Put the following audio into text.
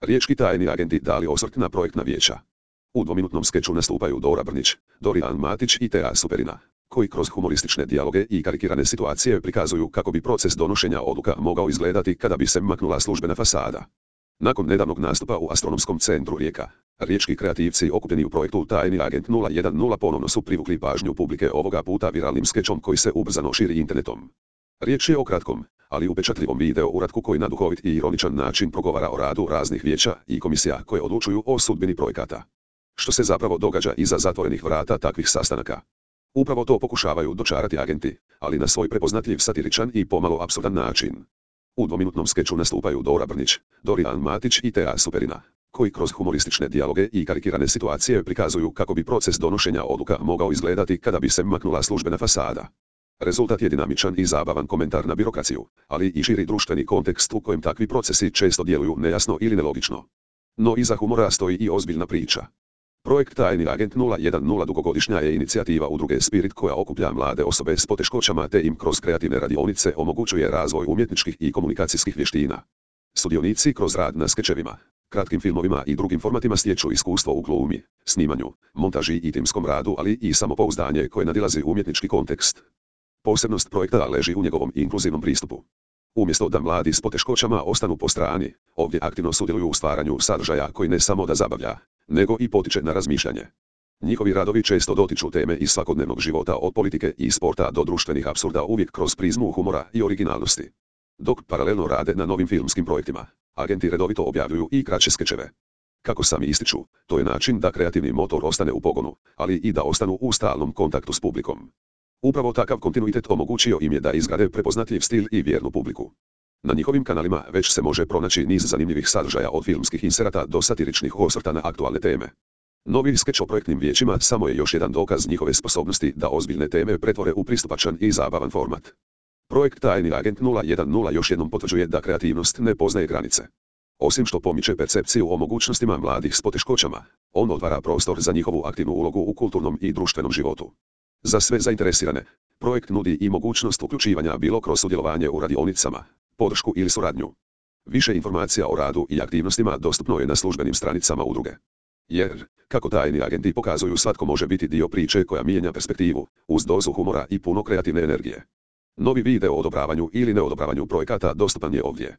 Riječki tajni agenti dali osvrt na projektna vijeća. U dvominutnom skeču nastupaju Dora Brnić, Dorijan Matić i Tea Superina, koji kroz humoristične dijaloge i karikirane situacije prikazuju kako bi proces donošenja odluka mogao izgledati kada bi se maknula službena fasada. Nakon nedavnog nastupa u Astronomskom centru Rijeka, riječki kreativci okupljeni u projektu Tajni agent 010 ponovno su privukli pažnju publike ovoga puta viralnim skečom koji se ubrzano širi internetom. Riječ je o kratkom, ali upečatljivom video uratku koji na duhovit i ironičan način progovara o radu raznih vijeća i komisija koje odlučuju o sudbini projekata. Što se zapravo događa iza zatvorenih vrata takvih sastanaka? Upravo to pokušavaju dočarati agenti, ali na svoj prepoznatljiv satiričan i pomalo apsurdan način. U dvominutnom skeču nastupaju Dora Brnić, Dorijan Matić i Tea Superina, koji kroz humoristične dijaloge i karikirane situacije prikazuju kako bi proces donošenja odluka mogao izgledati kada bi se maknula službena fasada. Rezultat je dinamičan i zabavan komentar na birokraciju, ali i širi društveni kontekst u kojem takvi procesi često djeluju nejasno ili nelogično. No iza humora stoji i ozbiljna priča. Projekt Tajni agent 010 dugogodišnja je inicijativa udruge Spirit koja okuplja mlade osobe s poteškoćama te im kroz kreativne radionice omogućuje razvoj umjetničkih i komunikacijskih vještina. Sudionici kroz rad na skečevima, kratkim filmovima i drugim formatima stječu iskustvo u glumi, snimanju, montaži i timskom radu, ali i samopouzdanje koje nadilazi umjetnički kontekst. Posebnost projekta leži u njegovom inkluzivnom pristupu. Umjesto da mladi s poteškoćama ostanu po strani, ovdje aktivno sudjeluju u stvaranju sadržaja koji ne samo da zabavlja, nego i potiče na razmišljanje. Njihovi radovi često dotiču teme iz svakodnevnog života od politike i sporta do društvenih apsurda uvijek kroz prizmu humora i originalnosti. Dok paralelno rade na novim filmskim projektima, agenti redovito objavljuju i kraće skečeve. Kako sami ističu, to je način da kreativni motor ostane u pogonu, ali i da ostanu u stalnom kontaktu s publikom. Upravo takav kontinuitet omogućio im je da izgrade prepoznatljiv stil i vjernu publiku. Na njihovim kanalima već se može pronaći niz zanimljivih sadržaja od filmskih inserata do satiričnih osvrta na aktualne teme. Novi skeč o projektnim vijećima samo je još jedan dokaz njihove sposobnosti da ozbiljne teme pretvore u pristupačan i zabavan format. Projekt Tajni agent 010 još jednom potvrđuje da kreativnost ne poznaje granice. Osim što pomiče percepciju o mogućnostima mladih s poteškoćama, on otvara prostor za njihovu aktivnu ulogu u kulturnom i društvenom životu. Za sve zainteresirane, projekt nudi i mogućnost uključivanja bilo kroz sudjelovanje u radionicama, podršku ili suradnju. Više informacija o radu i aktivnostima dostupno je na službenim stranicama udruge. Jer, kako tajni agenti pokazuju, svatko može biti dio priče koja mijenja perspektivu, uz dozu humora i puno kreativne energije. Novi video o odobravanju ili neodobravanju projekata dostupan je ovdje.